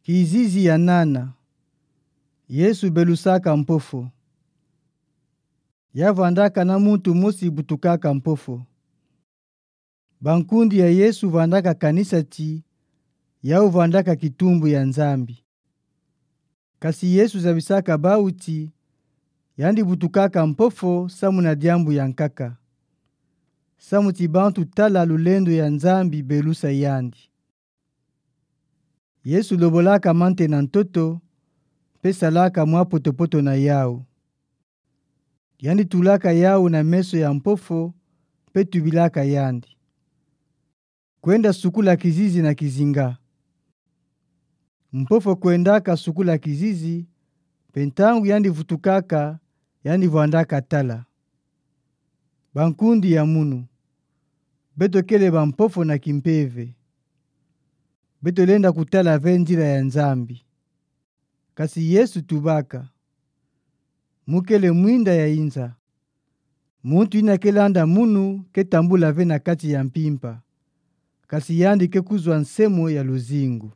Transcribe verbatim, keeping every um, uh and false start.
Kizizi ya nana. Yesu belusaka mpofo. Ya vwandaka na muntu mosi butukaka mpofo. Bankundi ya Yesu vwandaka kanisa ti, yau vwandaka kitumbu ya Nzambi. Kasi Yesu zabisaka bau ti, yandi butukaka mpofo samu na diambu ya nkaka. Samu ti bantu tala lulendo ya Nzambi belusa yandi. Yesu lobolaka mante na ntoto, mpe salaka mwa poto-poto na yau. Yandi tulaka yau na meso ya mpofo, mpe tubilaka yandi: Kwenda sukula kizizi na kizinga. Mpofo kwendaka sukula kizizi, mpe ntangu yandi vutukaka, yandi vwandaka tala. Bankundi ya munu, beto kele bampofo na kimpeve. Beto lenda kutala ve nzila ya Nzambi. Kasi Yesu tubaka: Mu kele mwinda ya inza. Muntu ina ke landa munu ke tambula ve na kati ya mpimpa, kasi yandi ke kuzwa nsemo ya luzingu.